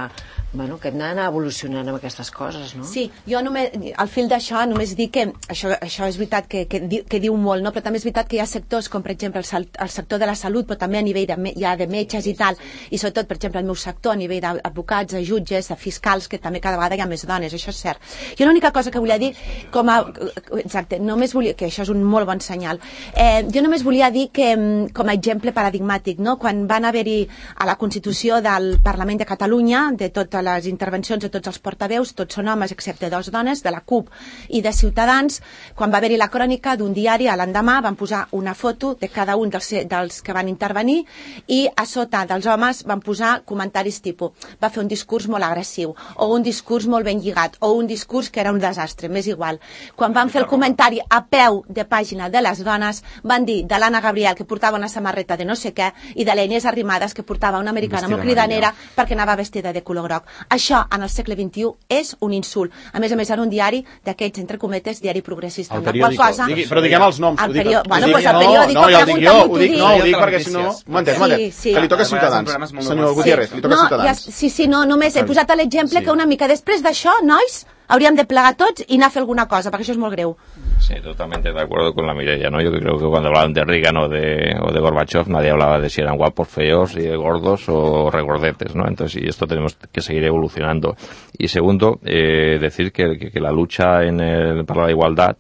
bueno, que hem d'anar evolucionant amb aquestes coses, no? Sí, jo només, al fil d'això només dic que això, això és veritat que, que, di, que diu molt, no? Però també és veritat que hi ha sectors com per exemple el, el sector de la salut, però també a nivell de, hi ha de metges i tal, i sobretot per exemple el meu sector a nivell d'advocats, de jutges, de fiscals, que també cada vegada hi ha més dones, això és cert. Jo l'única cosa que volia dir, com a, exacte, només volia, que això és un molt bon senyal, eh, jo només volia dir que com a exemple paradigmàtic, no? Quan van haver-hi a la Constitució del Parlament de Catalunya, de totes les intervencions de tots els portaveus, tots són homes excepte dos dones, de la C U P i de Ciutadans, quan va haver-hi la crònica d'un diari, a l'endemà van posar una foto de cada un dels, dels que van intervenir i a sota dels homes van posar comentaris tipus, va fer un discurs molt agressiu, o un discurs molt ben lligat, o un discurs que era un desastre, m'és igual. Quan van fer el comentari a peu de pàgina de les dones, van dir de l'Anna Gabriel, que portava una samarreta de no sé què, i de la Inés Arrimadas, que portava una americana molt cridanera perquè anava vestida de color groc. Això, en el segle vint-i-u, és un insult. A més a més, en un diari d'aquests, entre cometes, diari progressista. El periòdico. Cosa... Digui, però diguem els noms. El periò... Bueno, doncs el periòdico... No, ja ho dic jo, ho dic, no, ho dic perquè si no... Un momentet, un momentet, que li toca a Ciutadans. Senyor Gutiérrez, li toca a Ciutadans. Sí, sí, no, només he posat l'exemple que una mica després d'això, nois, hauríem de plegar tots y a fer alguna cosa, perquè això és molt greu. Sí, totalmente de acuerdo con la Mireia, ¿no? Yo creo que cuando hablaban de Reagan o de, o de Gorbachev, nadie hablaba de si eran guapos, feos, y gordos o regordetes, ¿no? Entonces, y esto tenemos que seguir evolucionando. Y segundo, eh, decir que, que, que la lucha en el, para la igualdad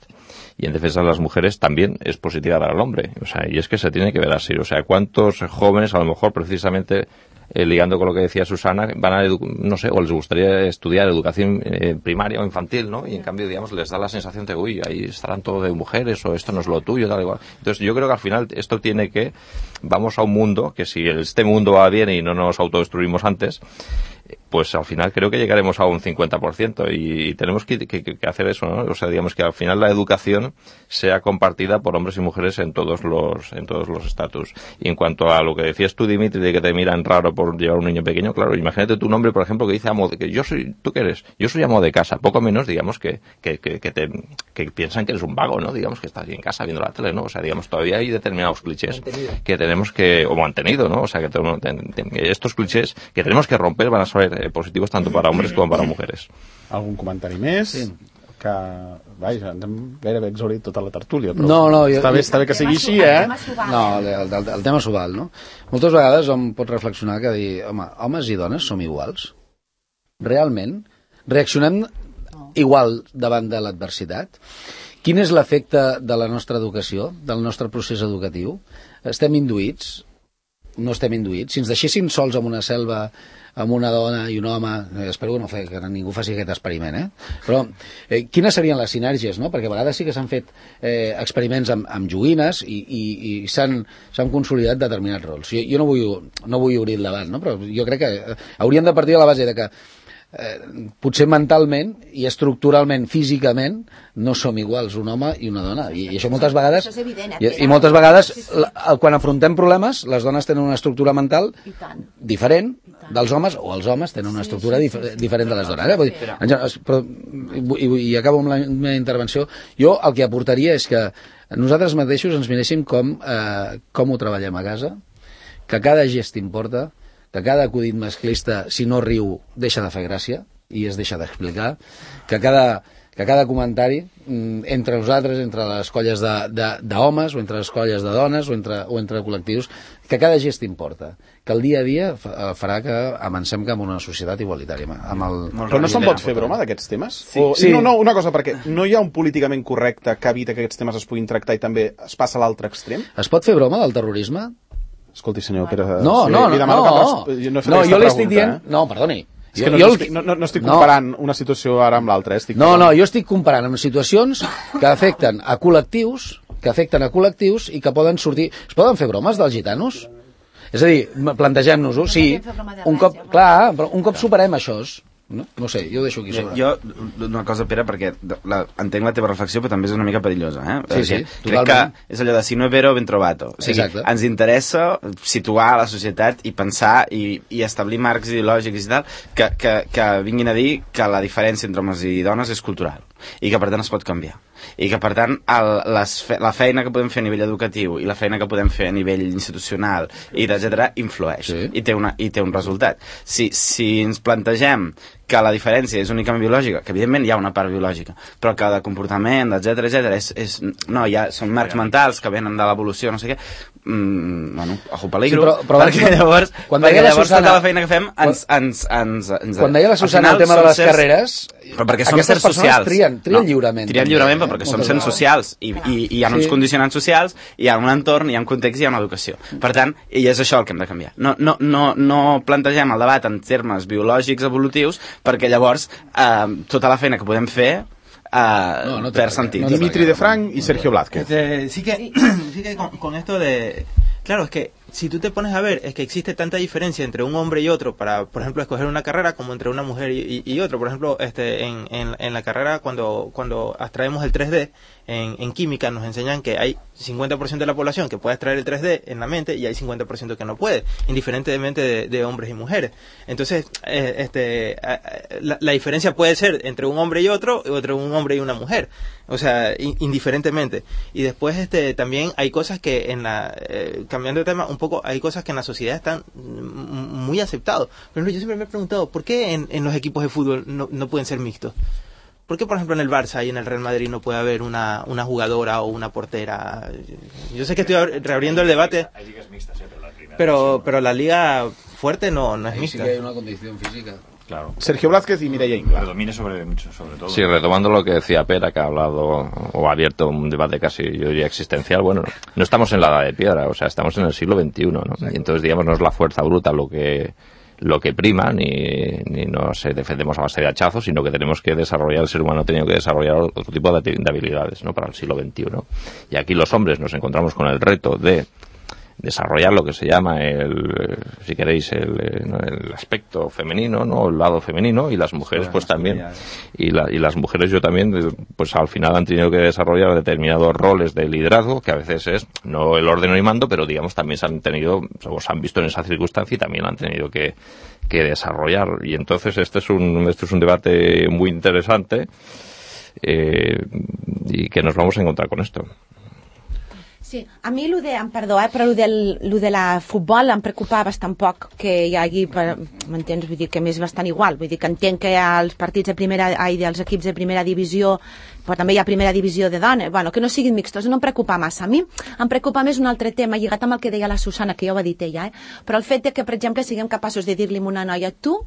y en defensa de las mujeres también es positiva para el hombre. O sea, y es que se tiene que ver así. O sea, ¿cuántos jóvenes, a lo mejor precisamente eh, ligando con lo que decía Susana, van a, no sé, o les gustaría estudiar educación eh, primaria o infantil, ¿no? Y en cambio, digamos, les da la sensación de, uy, ahí estarán todo de mujeres o esto no es lo tuyo, tal igual. Entonces, yo creo que al final esto tiene que, vamos a un mundo que si este mundo va bien y no nos autodestruimos antes, pues al final creo que llegaremos a un cincuenta por ciento y tenemos que, que, que hacer eso, ¿no? O sea, digamos que al final la educación sea compartida por hombres y mujeres en todos los en todos los estatus. Y en cuanto a lo que decías tú, Dimitri, de que te miran raro por llevar un niño pequeño, claro, imagínate tu nombre, por ejemplo, que dice amo de, que yo soy, ¿tú qué eres? Yo soy amo de casa, poco menos, digamos, que que, que, que, te, que piensan que eres un vago, ¿no? Digamos que estás ahí en casa viendo la tele, ¿no? O sea, digamos, todavía hay determinados clichés mantenido. que tenemos que, o mantenido, ¿no? O sea, que tenemos, estos clichés que tenemos que romper van a ser eh, positivos tanto para hombres com para mujeres. Algun comentari més? Sí. Que, vaja, ens hem gairebé exhaurit tota la tertúlia, però no, no, jo, està, bé, està bé que sigui així, eh? No, el, el, el tema s'ho val, no? Moltes vegades hom pot reflexionar que dir, home, homes i dones som iguals? Realment? Reaccionem igual davant de l'adversitat? Quin és l'efecte de la nostra educació, del nostre procés educatiu? Estem induïts? No estem induïts? Si ens deixéssim sols en una selva amb una dona i un home, eh, espero que, no fe, que ningú faci aquest experiment, eh? Però eh, quines serien les sinergies, no? Perquè a vegades sí que s'han fet eh, experiments amb, amb joguines i, i, i s'han consolidat determinats rols. Jo, jo no, vull, no vull obrir el debat, no? Però jo crec que eh, hauríem de partir de la base de que Eh, potser mentalment i estructuralment, físicament no som iguals un home i una dona i, i això moltes vegades això és evident, eh? i, i moltes vegades la, quan afrontem problemes les dones tenen una estructura mental diferent dels homes o els homes tenen una estructura dif diferent de les dones, eh? Vull dir, però, i, i acabo amb la meva intervenció. Jo el que aportaria és que nosaltres mateixos ens miréssim com, eh, com ho treballem a casa, que cada gest importa, que cada acudit masclista, si no riu, deixa de fer gràcia i es deixa d'explicar, que cada, que cada comentari entre nosaltres, entre les colles d'homes o entre les colles de dones o entre, o entre col·lectius, que cada gest importa, que el dia a dia farà que avancem cap a una societat igualitària. Amb el... Però no se'n pot fer broma d'aquests temes? Sí. O... sí. No, no, una cosa, perquè no hi ha un políticament correcte que evita que aquests temes es puguin tractar i també es passa a l'altre extrem? Es pot fer broma del terrorisme? Escolti, senyor Pere... No, sí, no, no, no, no, jo no, no jo li estic dient... Eh? No, perdoni. És que no, jo, no, estic, no, no estic comparant no. una situació ara amb l'altra. Eh? No, no, jo estic comparant amb situacions que afecten a col·lectius, que afecten a col·lectius i que poden sortir... Es poden fer bromes dels gitanos? És a dir, plantegem-nos-ho, sí, un cop, clar, però un cop superem això... No? no sé, jo ho deixo aquí sobre. Jo, una cosa, Pere, perquè la, entenc la teva reflexió, però també és una mica perillosa, eh? Sí, sí, crec totalment. Que és allò de si no és vero, ben trovato. O sigui, exacte. Ens interessa situar la societat i pensar i, i establir marcs ideològics i tal que, que, que vinguin a dir que la diferència entre homes i dones és cultural. i que per tant es pot canviar, i que per tant el, les fe, la feina que podem fer a nivell educatiu i la feina que podem fer a nivell institucional i etcètera influeix, sí. i, té una, i té un resultat. Si, si ens plantegem que la diferència és únicament biològica, que evidentment hi ha una part biològica, però que de comportament, etcètera, etcètera, és, és, no, ja són marcs mentals que venen de l'evolució, no sé què, mm, bueno, ojo peligro, sí, però, però perquè llavors, perquè llavors Susana, tota la feina que fem ens... ens, ens, ens quan deia la Susana el tema de les carreres, però perquè som sers socials. Trien, trien no, lliurement. Trien lliurement, però perquè som sers socials, i, i, i hi ha uns sí. condicionants socials, hi ha un entorn, hi ha un context, hi ha una educació. Per tant, i és això el que hem de canviar. No, no, no, no plantegem el debat en termes biològics, evolutius, perquè llavors eh, tota la feina que podem fer eh, no, no perd sentit. No Dimitri de Frank y Sergio Blázquez. Este, sí que, sí que con, con esto de... Claro, es que si tú te pones a ver, es que existe tanta diferencia entre un hombre y otro para, por ejemplo, escoger una carrera como entre una mujer y, y, y otro. Por ejemplo, este, en, en, en la carrera, cuando, cuando abstraemos el tres D, en, en química nos enseñan que hay cincuenta por ciento de la población que puede extraer el tres D en la mente y hay cincuenta por ciento que no puede, indiferentemente de, de hombres y mujeres. Entonces, eh, este, la, la diferencia puede ser entre un hombre y otro, o entre un hombre y una mujer. O sea, in, indiferentemente. Y después, este, también hay cosas que en la, eh, cambiando de tema un poco, hay cosas que en la sociedad están muy aceptados. Por ejemplo, yo siempre me he preguntado, ¿por qué en, en los equipos de fútbol no, no pueden ser mixtos? ¿Por qué, por ejemplo, en el Barça y en el Real Madrid no puede haber una, una jugadora o una portera? Yo sé que estoy reabriendo el debate, hay ligas mixtas, ¿eh? Pero, la primera pero, pero la liga fuerte no, no es ahí mixta. Sí que hay una condición física. Claro. Sergio Blázquez y Mireia Ingla. Predomine sobre, sobre todo. Sí, retomando lo que decía Pera, que ha hablado o ha abierto un debate casi, yo diría, existencial. Bueno, no estamos en la edad de piedra, o sea, estamos en el siglo veintiuno, ¿no? Y entonces, digamos, no es la fuerza bruta lo que lo que prima, ni, ni nos defendemos a base de hachazos, sino que tenemos que desarrollar, el ser humano ha tenido que desarrollar otro tipo de, de habilidades, ¿no? Para el siglo veintiuno. Y aquí los hombres nos encontramos con el reto de desarrollar lo que se llama el, si queréis, el, el aspecto femenino, ¿no? El lado femenino, y las mujeres pues también, y, la, y las mujeres yo también, pues al final han tenido que desarrollar determinados roles de liderazgo, que a veces es no el orden y mando, pero digamos también se han tenido, o se han visto en esa circunstancia y también han tenido que, que desarrollar. Y entonces este es un, este es un debate muy interesante, eh, y que nos vamos a encontrar con esto. Sí, a mi lo de, em perdó, eh, però lo, del, lo de la futbol em preocupa bastant poc que hi hagi, m'entens? Vull dir que m'és bastant igual, vull dir que entenc que els partits de primera, ai, dels equips de primera divisió, però també hi ha primera divisió de dones, bueno, que no siguin mixtos, no em preocupa massa. A mi em preocupa més un altre tema, lligat amb el que deia la Susana, que ja ho ha dit ella, eh? Però el fet de que, per exemple, siguem capaços de dir-li a una noia, tu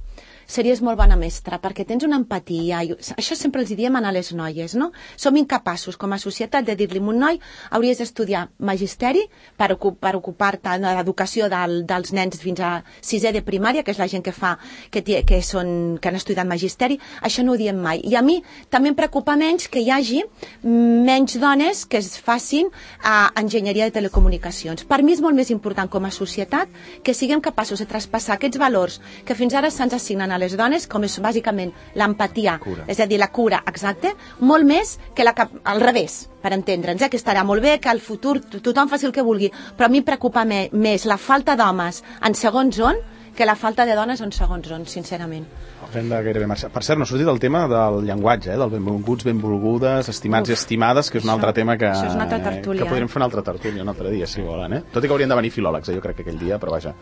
series molt bona mestra, perquè tens una empatia, i això sempre els diem a les noies, no? Som incapaços com a societat de dir-li a un noi, hauries d'estudiar magisteri per, ocup per ocupar-te de l'educació del, dels nens fins a sisè de primària, que és la gent que fa, que, que, són, que han estudiat magisteri, això no ho diem mai. I a mi també em preocupa menys que hi hagi menys dones que es facin a enginyeria de telecomunicacions. Per mi és molt més important com a societat que siguem capaços de traspassar aquests valors que fins ara se'ns assignen a les dones, com és bàsicament l'empatia, és a dir, la cura, exacte, molt més que la, al revés, per entendre'ns, eh? Que estarà molt bé, que al futur tothom faci el que vulgui, però a mi preocupa me, més la falta d'homes en segons on que la falta de dones en segons on, sincerament. Hem de gairebé marxar. Per cert, no ha sortit el tema del llenguatge, eh? Del benvolguts, benvolgudes, estimats Uf, i estimades, que és un això, altre tema que, eh, que podríem fer una altra tertúlia un altre dia, si volen, eh? Tot i que haurien de venir filòlegs, eh? Jo crec que aquell dia, però vaja.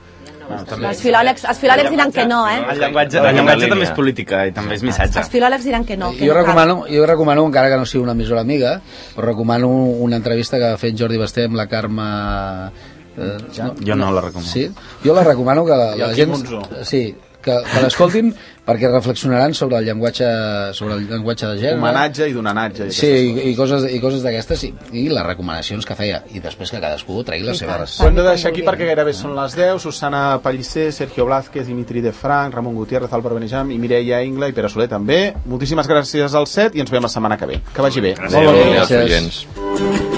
No, també... Els filòlegs, els filòlegs diran que no, eh? El llenguatge, el llenguatge també és política i també és missatge. Els filòlegs diran que no. Que jo, recomano, jo recomano, encara que no sigui una emissora amiga, però recomano una entrevista que ha fet Jordi Basté amb la Carme... Eh, ja, no, jo no la recomano. Sí? Jo la recomano que la, la gent... Sí, que, que l'escoltin perquè reflexionaran sobre el llenguatge sobre el llenguatge de gènere, homenatge i donanatge i sí, i, i coses, i coses d'aquestes sí, i les recomanacions que feia i després que cadascú tregui les seves. Ho hem de deixar aquí perquè gairebé són les deu. Susana Pellicer, Sergio Blázquez, Dimitri de Frank, Ramon Gutiérrez, Álvaro Benejam i Mireia Ingla i Pere Soler també. Moltíssimes gràcies al set i ens veiem la setmana que ve. Que vagi bé. Gràcies. Molt bé, gràcies.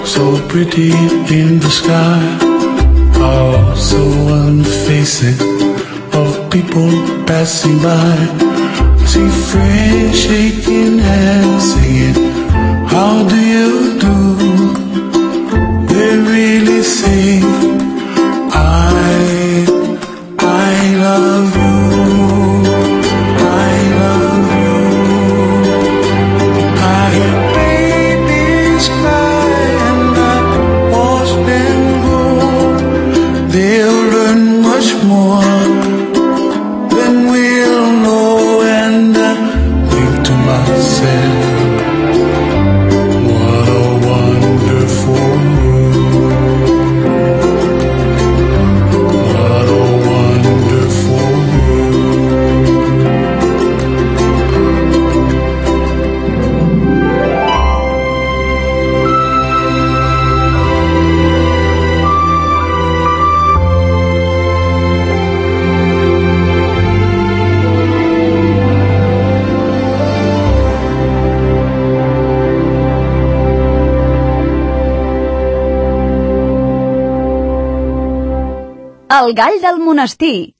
So pretty in the sky, oh, so unfacing of people passing by. See friends shaking hands, singing, how do you do? They really sing, I, I love you, I love you, I El gall del monestir.